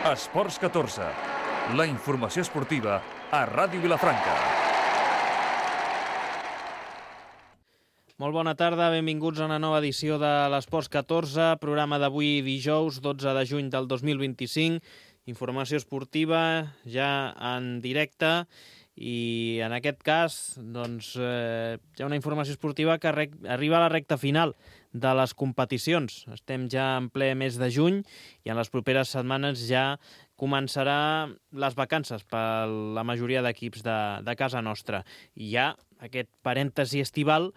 Esports 14, la informació esportiva a Ràdio Vilafranca. Molt bona tarda, benvinguts a una nova edició de l'Esports 14, programa d'avui dijous, 12 de juny del 2025, informació esportiva ja en directe i en aquest cas doncs, hi ha una informació esportiva que arriba a la recta final de les competicions. Estem ja en ple mes de juny i en les properes setmanes ja començarà les vacances per la majoria d'equips de casa nostra. I hi ha aquest parèntesi estival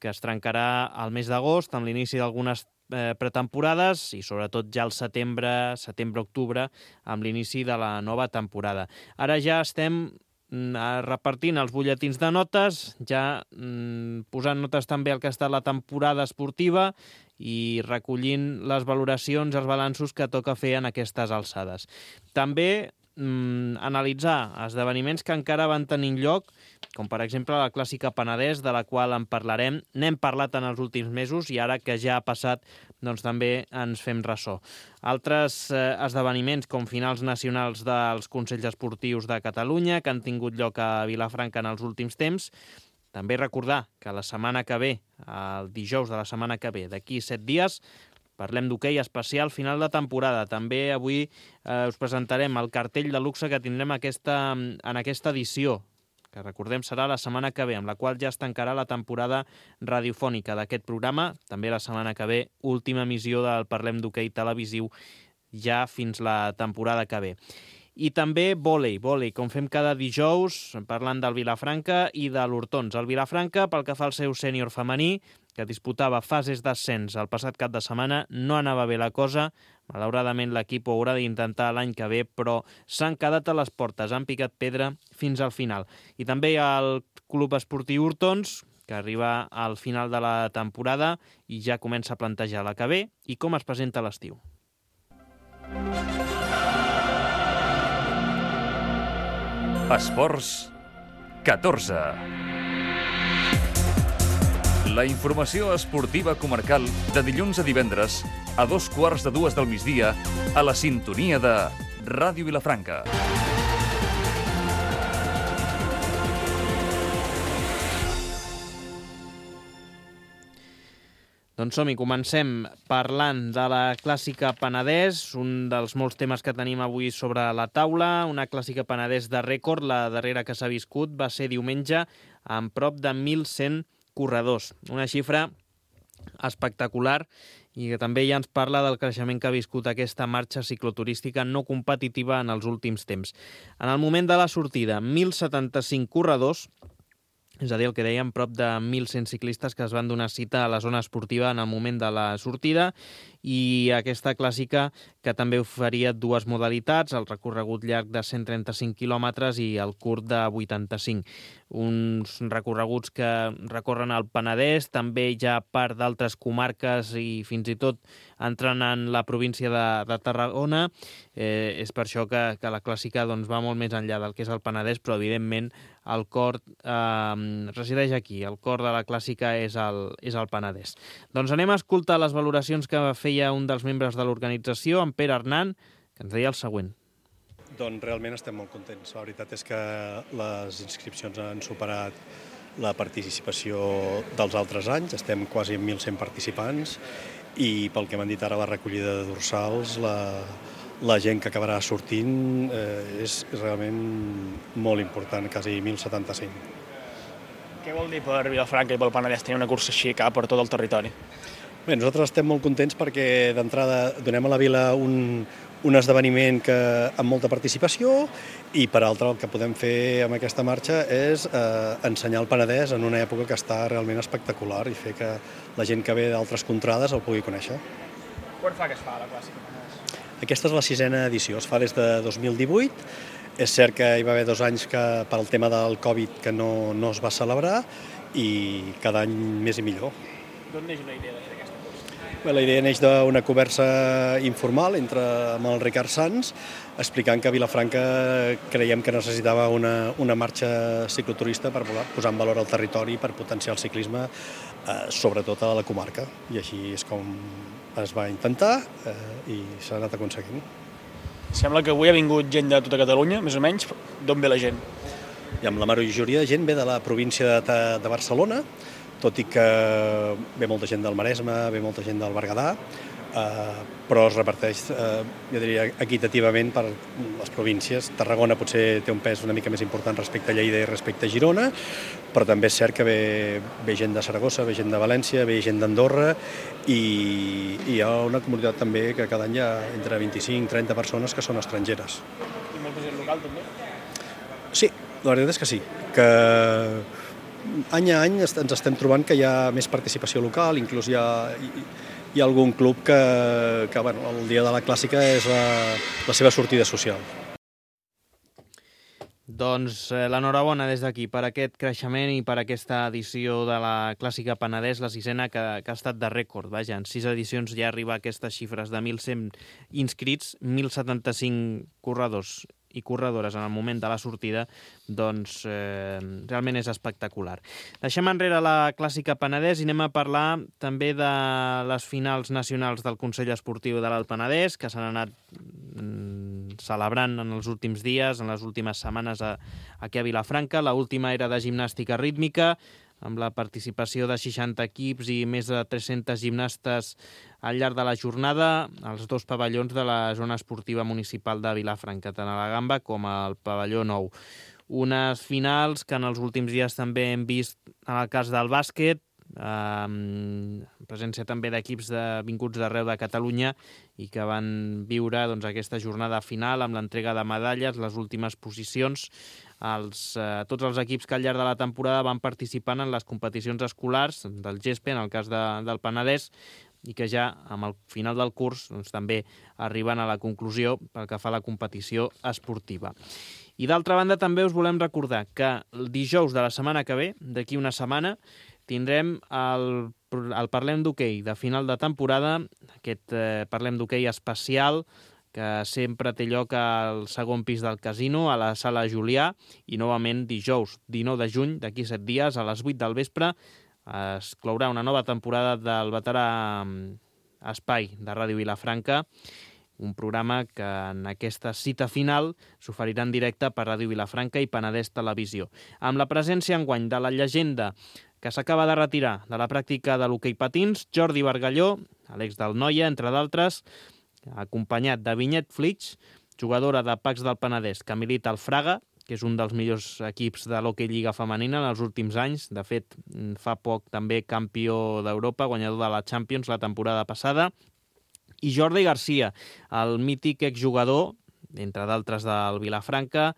que es trencarà al mes d'agost amb l'inici d'algunes pretemporades i sobretot ja al setembre-octubre amb l'inici de la nova temporada. Ara ja estem repartint els butlletins de notes, ja posant notes també al que ha estat la temporada esportiva i recollint les valoracions, els balanços que toca fer en aquestes alçades. També analitzar esdeveniments que encara van tenint lloc, com per exemple la Clàssica Penedès, de la qual en parlarem. N'hem parlat en els últims mesos i ara que ja ha passat, doncs també ens fem ressò. Altres esdeveniments, com finals nacionals dels Consells Esportius de Catalunya, que han tingut lloc a Vilafranca en els últims temps. També recordar que la setmana que ve, el dijous de la setmana que ve, d'aquí 7 dies, parlem d'hoquei especial final de temporada. També avui us presentarem el cartell de luxe que tindrem en aquesta edició, que recordem serà la setmana que ve, amb la qual ja es tancarà la temporada radiofònica d'aquest programa. També la setmana que ve, última emissió del Parlem d'hoquei televisiu, ja fins la temporada que ve. I també vòlei, com fem cada dijous, parlant del Vilafranca i de l'Hortons. El Vilafranca, pel que fa al seu sènior femení, que disputava fases d'ascens el passat cap de setmana, no anava bé la cosa. Malauradament l'equip ho haurà d'intentar l'any que ve, però s'han quedat a les portes, han picat pedra fins al final. I també hi ha el Club Esportiu Hortons, que arriba al final de la temporada i ja comença a plantejar la que ve i com es presenta l'estiu. Esports 14. La informació esportiva comarcal de dilluns a divendres a 2:15 del migdia a la sintonia de Ràdio Vilafranca. Doncs som-hi, comencem parlant de la Clàssica Penedès, un dels molts temes que tenim avui sobre la taula, una Clàssica Penedès de rècord. La darrera que s'ha viscut va ser diumenge amb prop de 1.100 corredors, una xifra espectacular i que també ja ens parla del creixement que ha viscut aquesta marxa cicloturística no competitiva en els últims temps. En el moment de la sortida, 1.075 corredors, és a dir, el que dèiem, prop de 1.100 ciclistes que es van donar cita a la zona esportiva en el moment de la sortida, i aquesta clàssica que també oferia dues modalitats, el recorregut llarg de 135 quilòmetres i el curt de 85. Uns recorreguts que recorren el Penedès, també hi ha part d'altres comarques i fins i tot entrant en la província de Tarragona. És per això que la clàssica doncs, va molt més enllà del que és el Penedès, però evidentment el cor resideix aquí, el cor de la clàssica és el Penedès. Doncs anem a escoltar les valoracions que feia un dels membres de l'organització, en Pere Hernán, que ens deia el següent. Doncs realment estem molt contents. La veritat és que les inscripcions han superat la participació dels altres anys. Estem quasi en 1.100 participants i pel que m'han dit ara la recollida de dorsals, la gent que acabarà sortint és realment molt important, quasi 1.075. Què vol dir per Vilafranca i pel Penedès tenir una cursa així cap per tot el territori? Bé, nosaltres estem molt contents perquè d'entrada donem a la vila un esdeveniment amb molta participació i per altra el que podem fer amb aquesta marxa és ensenyar el Penedès en una època que està realment espectacular i fer que la gent que ve d'altres contrades el pugui conèixer. Quan fa que es fa la Clàssica Penedès? Aquesta és la 6a edició, es fa des de 2018. És cert que hi va haver 2 anys que pel tema del Covid que no es va celebrar i cada any més i millor. D'on neix una idea de fer aquesta cursa? Bé, la idea neix d'una conversa informal amb el Ricard Sans, explicant que Vilafranca creiem que necessitava una marxa cicloturista per posar en valor el territori, per potenciar el ciclisme, sobretot a la comarca. I així és com es va intentar i s'ha anat aconseguint. Sembla que avui ha vingut gent de tota Catalunya, més o menys. D'on ve la gent? I amb la majoria de gent ve de la província de Barcelona, tot i que ve molta gent del Maresme, ve molta gent del Berguedà, però es reparteix, jo diria, equitativament per les províncies. Tarragona potser té un pes una mica més important respecte a Lleida i respecte a Girona, però també és cert que ve gent de Saragossa, ve gent de València, ve gent d'Andorra i hi ha una comunitat també que cada any hi ha entre 25-30 persones que són estrangeres. I molta gent local també? Sí, la veritat és que sí, que any a any ens estem trobant que hi ha més participació local, inclús hi ha algun club que bueno, el dia de la clàssica és la seva sortida social. Doncs l'enhorabona des d'aquí per aquest creixement i per aquesta edició de la Clàssica Penedès, la sisena que ha estat de rècord. Vaja, en 6 edicions ja arriba a aquestes xifres de 1.100 inscrits, 1.075 corredors i corredores en el moment de la sortida, doncs realment és espectacular. Deixem enrere la Clàssica Penedès i anem a parlar també de les finals nacionals del Consell Esportiu de l'Alt Penedès, que s'han anat celebrant en els últims dies, en les últimes setmanes aquí a Vilafranca. L'última era de gimnàstica rítmica, amb la participació de 60 equips i més de 300 gimnastes al llarg de la jornada, als 2 pavellons de la zona esportiva municipal de Vilafranca, tant a la Gamba com al pavelló nou. Unes finals que en els últims dies també hem vist en el cas del bàsquet, presència també d'equips vinguts d'arreu de Catalunya i que van viure aquesta jornada final amb l'entrega de medalles, les últimes posicions. Tots els equips que al llarg de la temporada van participant en les competicions escolars del GESPE, en el cas del Penedès, i que ja amb el final del curs també arriben a la conclusió pel que fa a la competició esportiva. I d'altra banda també us volem recordar que el dijous de la setmana que ve, d'aquí una setmana, tindrem el Parlem d'Hoquei de final de temporada, aquest Parlem d'Hoquei especial que sempre té lloc al segon pis del casino, a la Sala Julià, i novament dijous 19 de juny, d'aquí 7 dies, a les 8 del vespre, es clourà una nova temporada del veterà Espai de Ràdio Vilafranca, un programa que en aquesta cita final s'oferirà en directe per Ràdio Vilafranca i Penedès Televisió. Amb la presència enguany de la llegenda que s'acaba de retirar de la pràctica de l'hoquei patins, Jordi Bargalló, l'ex del Noia, entre d'altres, acompanyat de Vinyet Flix, jugadora de Pacs del Penedès, que milita al Fraga, que és un dels millors equips de l'hoquei lliga femenina en els últims anys. De fet, fa poc també campió d'Europa, guanyador de la Champions la temporada passada. I Jordi Garcia, el mític exjugador, entre d'altres del Vilafranca,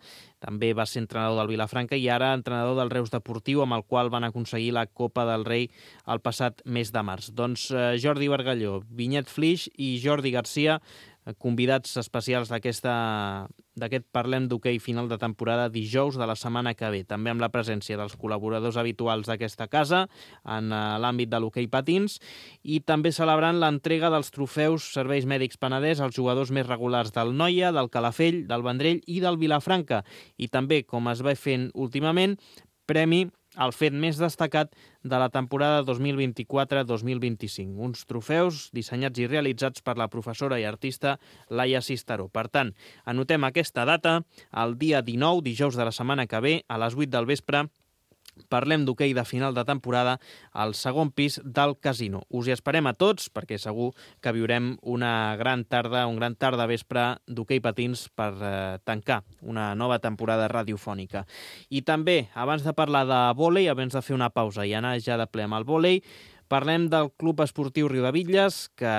també va ser entrenador del Vilafranca i ara entrenador del Reus Deportiu, amb el qual van aconseguir la Copa del Rei el passat mes de març. Doncs Jordi Bargalló, Vinyet Flix i Jordi Garcia, convidats especials d'aquest Parlem d'Hoquei final de temporada dijous de la setmana que ve, també amb la presència dels col·laboradors habituals d'aquesta casa en l'àmbit de l'hoquei patins i també celebrant l'entrega dels trofeus Serveis Mèdics Penedès als jugadors més regulars del Noia, del Calafell, del Vendrell i del Vilafranca. I també, com es va fent últimament, premi al fet més destacat de la temporada 2024-2025. Uns trofeus dissenyats i realitzats per la professora i artista Laia Cisteró. Per tant, anotem aquesta data, el dia 19, dijous de la setmana que ve, a les 8 del vespre, Parlem d'Hoquei de final de temporada al segon pis del casino. Us hi esperem a tots perquè segur que viurem una gran tarda, un gran tarda vespre d'hoquei patins per tancar una nova temporada radiofònica. I també, abans de parlar de vòlei, abans de fer una pausa i anar ja de ple amb el vòlei, parlem del Club Esportiu Riudebitlles, que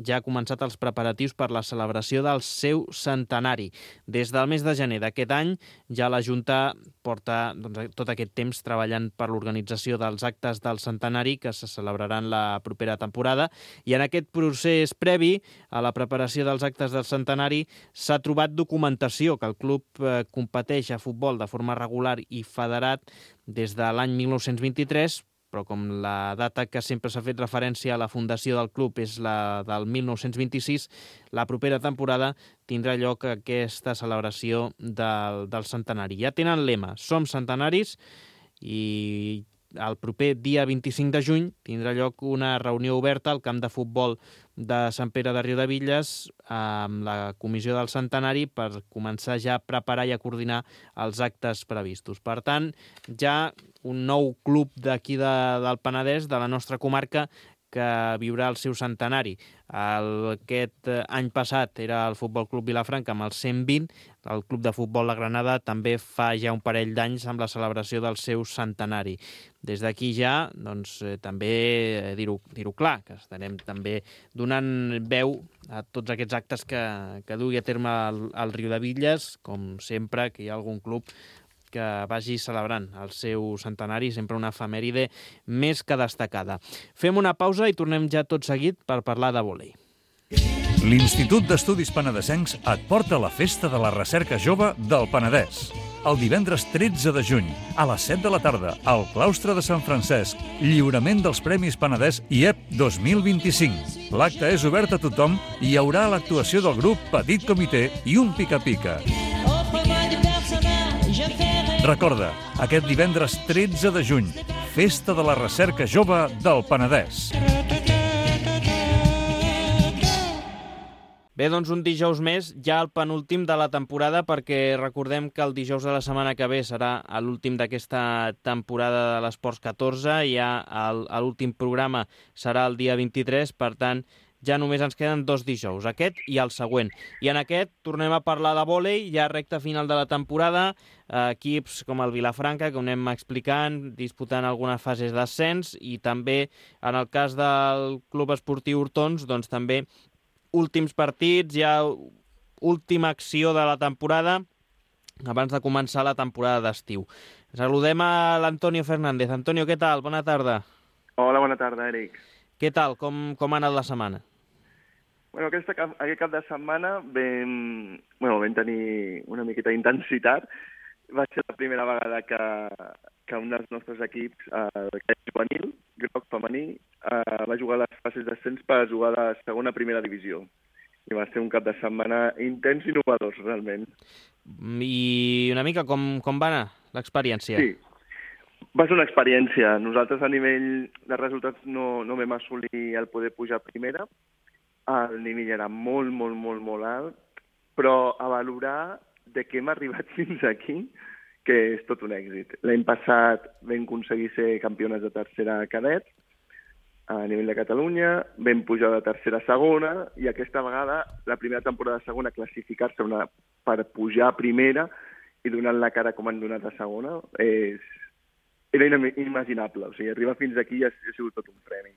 ja ha començat els preparatius per la celebració del seu centenari. Des del mes de gener d'aquest any, ja la Junta porta tot aquest temps treballant per l'organització dels actes del centenari que se celebraran la propera temporada. I en aquest procés previ a la preparació dels actes del centenari s'ha trobat documentació que el club competeix a futbol de forma regular i federat des de l'any 1923, però com la data que sempre s'ha fet referència a la fundació del club és la del 1926, la propera temporada tindrà lloc aquesta celebració del centenari. Ja tenen lema, som centenaris, i el proper dia 25 de juny tindrà lloc una reunió oberta al camp de futbol de Sant Pere de Riudebitlles amb la comissió del centenari per començar ja a preparar i a coordinar els actes previstos. Per tant, ja un nou club d'aquí del Penedès, de la nostra comarca, que viurà el seu centenari. Aquest any passat era el Futbol Club Vilafranca amb el 120, el Club de Futbol de Granada també fa ja un parell d'anys amb la celebració del seu centenari. Des d'aquí ja, doncs, també dir-ho clar, que estarem també donant veu a tots aquests actes que dugui a terme el Riudebitlles, com sempre que hi ha algun club que vagi celebrant el seu centenari, sempre una efemèride més que destacada. Fem una pausa i tornem ja tot seguit per parlar de vòlei. L'Institut d'Estudis Penedesencs et porta a la Festa de la Recerca Jove del Penedès. El divendres 13 de juny, a les 7 de la tarda, al claustre de Sant Francesc, lliurament dels Premis Penedès IEP 2025. L'acte és obert a tothom i hi haurà l'actuació del grup Petit Comitè i un pica-pica. Recorda, aquest divendres 13 de juny, Festa de la Recerca Jove del Penedès. Bé, doncs un dijous més, ja el penúltim de la temporada, perquè recordem que el dijous de la setmana que ve serà l'últim d'aquesta temporada de l'Esports 14, ja l'últim programa serà el dia 23, per tant, ja només ens queden 2 dijous, aquest i el següent. I en aquest tornem a parlar de vòlei, ja recta final de la temporada, equips com el Vilafranca, que ho anem explicant, disputant algunes fases d'ascens, i també, en el cas del Club Esportiu Hortons, doncs també últims partits, ja última acció de la temporada, abans de començar la temporada d'estiu. Saludem a l'Antonio Fernández. Antonio, què tal? Bona tarda. Hola, bona tarda, Eric. Què tal? Com ha anat la setmana? Bueno, aquest cap de setmana vam tenir una miqueta d'intensitat. Va ser la primera vegada que un dels nostres equips, el juvenil, groc femení, va jugar a les fases d'ascens per jugar a la segona primera divisió. I va ser un cap de setmana intens i innovador, realment. I una mica com va anar l'experiència? Sí, va ser una experiència. Nosaltres a nivell de resultats no vam assolir el poder pujar a primera. El nivell era molt alt, però a valorar de què hem arribat fins aquí, que és tot un èxit. L'any passat vam aconseguir ser campiones de tercera cadet a nivell de Catalunya, vam pujar de tercera a segona, i aquesta vegada, la primera temporada de segona, classificar-se per pujar a primera i donant la cara com han donat a segona, era inimaginable. O sigui, arribar fins aquí ha sigut tot un premi.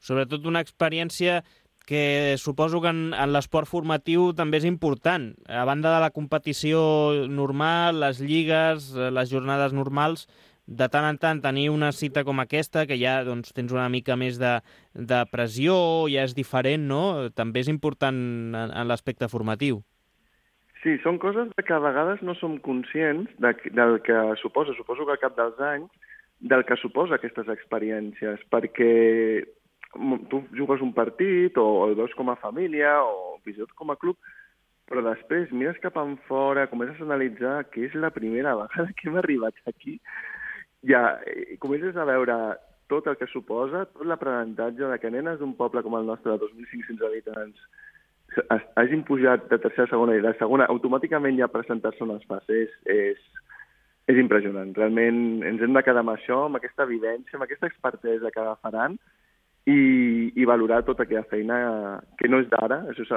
Sobretot una experiència que suposo que en l'esport formatiu també és important. A banda de la competició normal, les lligues, les jornades normals, de tant en tant tenir una cita com aquesta, que ja doncs, tens una mica més de pressió, ja és diferent, no? També és important en l'aspecte formatiu. Sí, són coses que a vegades no som conscients del que suposa. Suposo que al cap dels anys, del que suposa aquestes experiències, perquè tu jugues un partit o el veus com a família o fins i tot com a club, però després mires cap enfora, comences a analitzar que és la primera vegada que hem arribat aquí, ja comences a veure tot el que suposa, tot l'aprenentatge de que nenes d'un poble com el nostre de 2.500 habitants hagin pujat de tercera a segona i de segona automàticament ja presentar-se a unes fases és impressionant. Realment ens hem de quedar amb això, amb aquesta evidència, amb aquesta expertesa que agafaran, i valorar tota aquella feina que no és d'ara, això és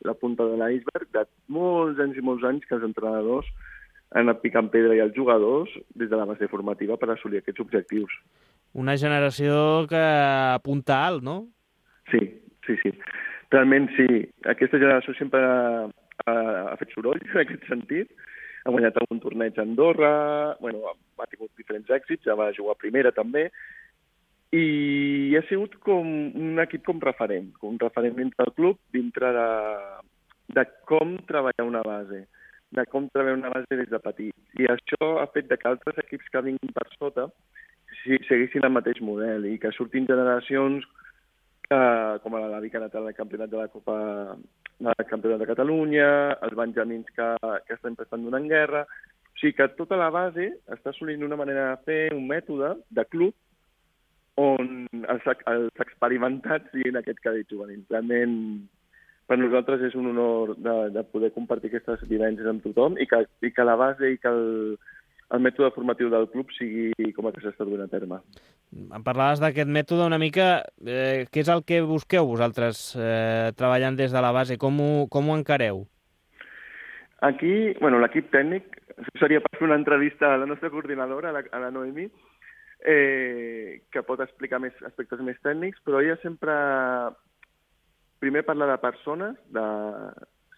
la punta de l'iceberg, de molts anys que els entrenadors han anat picant pedra i els jugadors des de la base formativa per assolir aquests objectius. Una generació que apunta alt, no? Sí. Realment sí. Aquesta generació sempre ha fet soroll en aquest sentit. Ha guanyat algun torneig a Andorra, ha tingut diferents èxits, ja va jugar a primera també, i ha sigut com un equip com referent dintre del club, dintre de com treballar una base, des de petit. I això ha fet que altres equips que vinguin per sota seguissin el mateix model i que surtin generacions com la Vic ha anat al campionat de la Copa del Campionat de Catalunya, els benjamins que estan prestant donant guerra, O sigui que tota la base està assolint una manera de fer, un mètode de club, on els experimentats siguin aquest cadet juvenil. Realment, per nosaltres és un honor de poder compartir aquestes vivències amb tothom i que la base i que el mètode formatiu del club sigui com el que s'està duent a terme. Em parlaves d'aquest mètode una mica. Què és el que busqueu vosaltres treballant des de la base? Com ho encareu? Aquí, l'equip tècnic, seria per fer una entrevista a la nostra coordinadora, a la Noemi, que pot explicar més aspectes més tècnics, però ella sempre primer parla de persones, de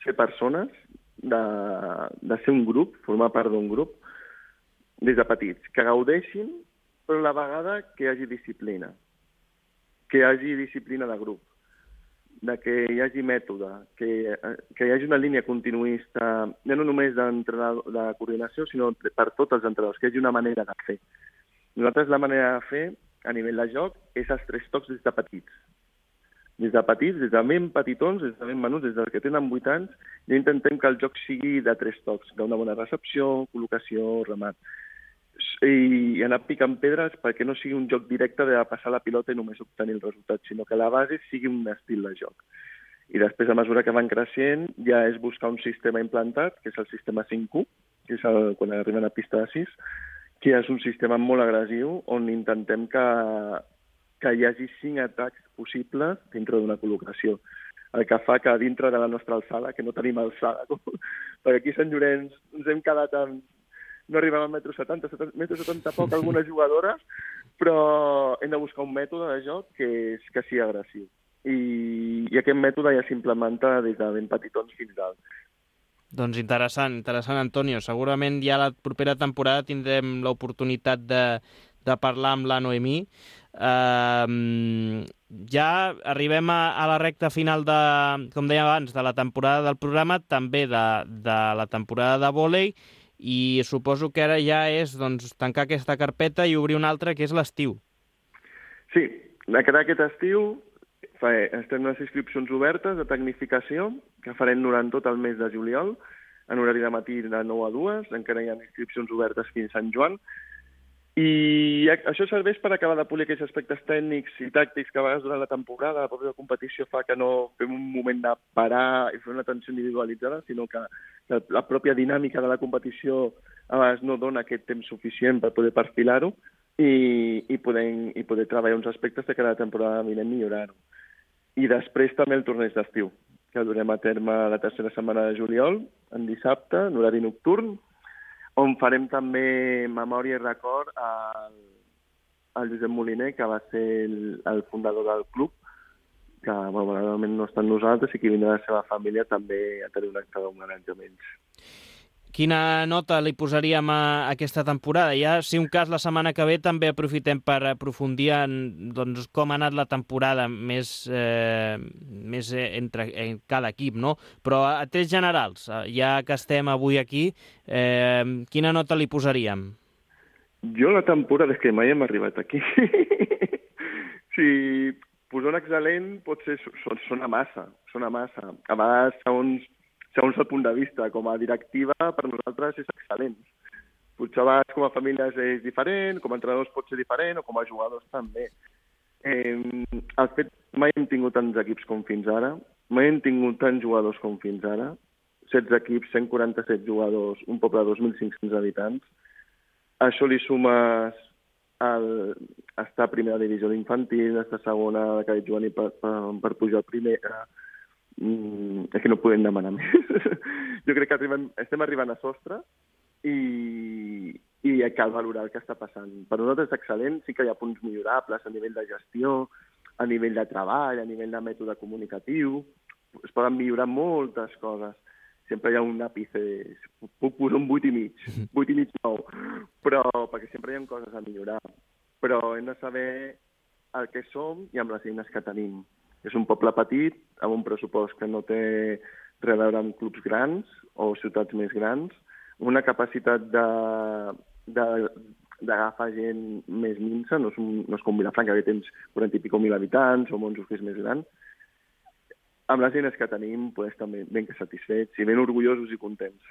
ser persones, de ser un grup, formar part d'un grup, des de petits, que gaudeixin, però a la vegada que hi hagi disciplina, de grup, de que hi hagi mètode, que hi hagi una línia continuista, ja no només de coordinació, sinó per tots els entrenadors, que hi hagi una manera de fer. Nosaltres la manera de fer, a nivell de joc, és els 3 tocs des de petits. Des de petits, des de ben petitons, des de ben menuts, des dels que tenen 8 anys, ja intentem que el joc sigui de 3 tocs, d'una bona recepció, col·locació, remat. I anar picant pedres perquè no sigui un joc directe de passar la pilota i només obtenir el resultat, sinó que la base sigui un estil de joc. I després, a mesura que van creixent, ja és buscar un sistema implantat, que és el sistema 5-1, que és quan arriben a pista de 6, que és un sistema molt agressiu on intentem que hi hagi 5 atacs possibles dintre d'una col·locació. El que fa que dintre de la nostra alçada, que no tenim alçada, perquè aquí a Sant Llorenç ens hem quedat amb... No arribem al 1,70 m poc algunes jugadores, però hem de buscar un mètode de joc que sigui agressiu. I aquest mètode ja s'implementa des de ben petitons fins dalt. Doncs interessant, Antonio. Segurament ja la propera temporada tindrem l'oportunitat de parlar amb la Noemí. Ja arribem a la recta final, com dèiem abans, de la temporada del programa, també de la temporada de vòlei, i suposo que ara ja és tancar aquesta carpeta i obrir una altra, que és l'estiu. Sí, aquest estiu estem unes inscripcions obertes de tecnificació que farem durant tot el mes de juliol, en horari de matí de 9 a 2, encara hi ha inscripcions obertes fins a Sant Joan, i això serveix per acabar de polir aquells aspectes tècnics i tàctics que a vegades durant la temporada, la pròpia competició fa que no fem un moment de parar i fer una atenció individualitzada, sinó que la pròpia dinàmica de la competició a vegades no dona aquest temps suficient per poder perfilar-ho i poder treballar uns aspectes de cada temporada vinent millorar-ho. I després també el torneig d'estiu, que durem a terme la tercera setmana de juliol, en dissabte, en horari nocturn, on farem també memòria i record al Josep Moliner, que va ser el fundador del club, que malauradament no està amb nosaltres i que vindrà de la seva família també a tenir un acte d'homenatge amb ells. Quina nota li posaríem a aquesta temporada? Ja, si un cas, la setmana que ve també aprofitem per aprofundir en com ha anat la temporada més entre cada equip, no? Però a trets generals, ja que estem avui aquí, quina nota li posaríem? Jo la temporada és que mai hem arribat aquí. Si posar un excel·lent potser sona massa. A vegades, segons el punt de vista, com a directiva, per nosaltres és excel·lent. Potser a vegades com a famílies és diferent, com a entrenadors pot ser diferent, o com a jugadors també. El fet, mai hem tingut tants equips com fins ara, mai hem tingut tants jugadors com fins ara, 16 equips, 147 jugadors, un poble de 2.500 habitants. Això li sumes estar a primera divisió d'infantil, estar a segona de cadet juvenil per pujar a primera. És que no podem demanar més. Jo crec que estem arribant a sostre i cal valorar el que està passant. Per nosaltres és excel·lent, sí que hi ha punts millorables a nivell de gestió, a nivell de treball, a nivell de mètode comunicatiu. Es poden millorar moltes coses. Sempre hi ha un àpice, puc posar un 8,5, 9, però perquè sempre hi ha coses a millorar. Però hem de saber el que som i amb les eines que tenim. És un poble petit, amb un pressupost que no té res a veure amb clubs grans o ciutats més grans, una capacitat d'agafar gent més minsa, no és com Vilafranca, que tens 40 i pico mil habitants, o Monjos, que és més gran. amb les eines que tenim, pues, també ben satisfets i ben orgullosos i contents.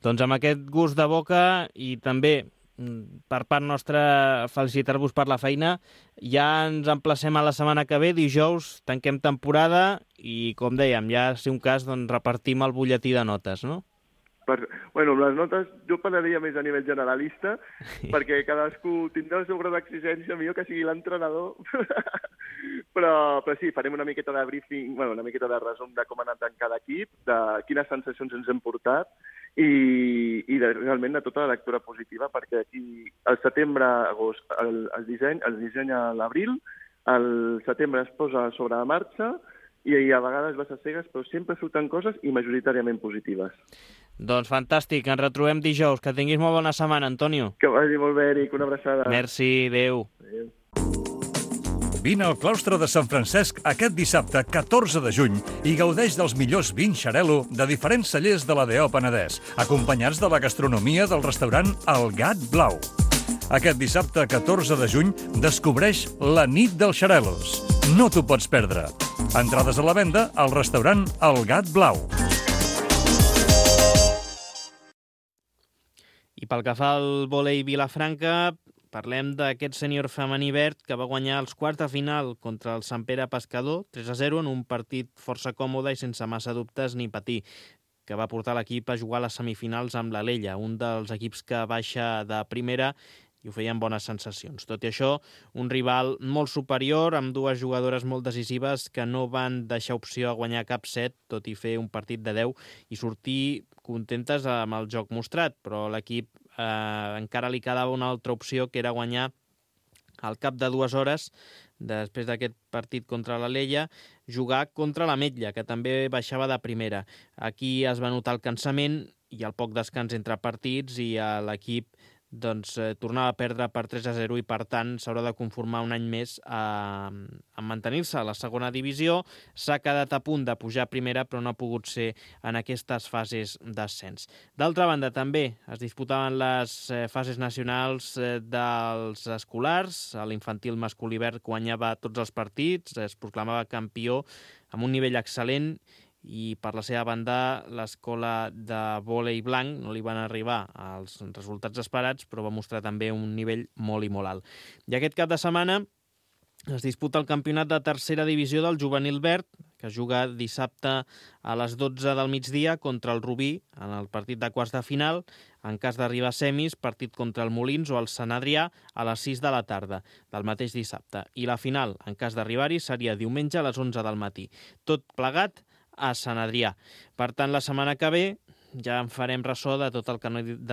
Doncs amb aquest gust de boca i també per part nostra felicitar-vos per la feina. Ja ens emplacem a la setmana que ve, dijous, tanquem temporada i, com dèiem, ja, si un cas, doncs, repartim el butlletí de notes, no? Bueno, les notes jo parlaria més a nivell generalista, perquè cadascú tindrà el seu grau d'exigència, millor que sigui l'entrenador. però sí, farem una miqueta de briefing, bueno, una miqueta de resum de com ha anat en cada equip, de quines sensacions ens hem portat i realment de tota la lectura positiva, perquè aquí al setembre, agost, el disseny a l'abril, al setembre es posa sobre la marxa i a vegades va ser cegues, però sempre surten coses i majoritàriament positives. Doncs fantàstic, ens retrobem dijous. Que tinguis molt bona setmana, Antonio. Que vagi molt bé, Eric, una abraçada. Merci, adéu. Adéu. Vine al claustre de Sant Francesc aquest dissabte 14 de juny i gaudeix dels millors vins Xarel·lo de diferents cellers de l'ADO Penedès, acompanyats de la gastronomia del restaurant El Gat Blau. Aquest dissabte 14 de juny descobreix la nit dels Xarel·los. No t'ho pots perdre. Entrades a la venda al restaurant El Gat Blau. I pel que fa al vòlei Vilafranca, parlem d'aquest sènior femení verd que va guanyar els quarts de final contra el Sant Pere Pescador, 3-0, en un partit força còmode i sense massa dubtes ni patir, que va portar l'equip a jugar a les semifinals amb l'Alella, un dels equips que baixa de primera i ho feien bones sensacions. Tot i això, un rival molt superior, amb dues jugadores molt decisives que no van deixar opció a guanyar cap set, tot i fer un partit de 10 i sortir contentes amb el joc mostrat, però l'equip encara li quedava una altra opció, que era guanyar al cap de 2 hores, després d'aquest partit contra l'Alella, jugar contra la Metlla, que també baixava de primera. Aquí es va notar el cansament i el poc descans entre partits i l'equip tornava a perdre per 3-0 i, per tant, s'haurà de conformar un any més a mantenir-se a la segona divisió. S'ha quedat a punt de pujar a primera, però no ha pogut ser en aquestes fases d'ascens. D'altra banda, també es disputaven les fases nacionals dels escolars. L'infantil masculí verd guanyava tots els partits, es proclamava campió amb un nivell excel·lent, i per la seva banda l'escola de vòlei blanc no li van arribar als resultats esperats, però va mostrar també un nivell molt i molt alt. I aquest cap de setmana es disputa el campionat de tercera divisió del juvenil verd, que es juga dissabte a les 12 del migdia contra el Rubí en el partit de quarts de final. En cas d'arribar a semis, partit contra el Molins o el Sant Adrià a les 6 de la tarda del mateix dissabte. I la final, en cas d'arribar-hi, seria diumenge a les 11 del matí. Tot plegat a Sant Adrià. Per tant, la setmana que ve ja en farem ressò de tot el que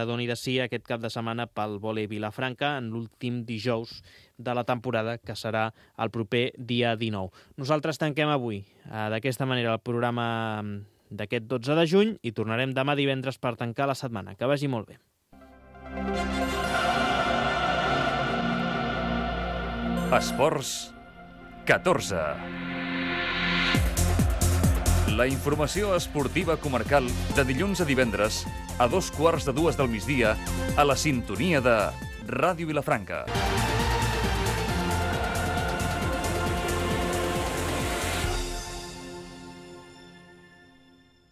doni de si aquest cap de setmana pel vòlei Vilafranca en l'últim dijous de la temporada, que serà el proper dia 19. Nosaltres tanquem avui d'aquesta manera el programa d'aquest 12 de juny i tornarem demà divendres per tancar la setmana. Que vagi molt bé. Esports 14. La informació esportiva comarcal de dilluns a divendres a 2:15 del migdia a la sintonia de Ràdio Vilafranca.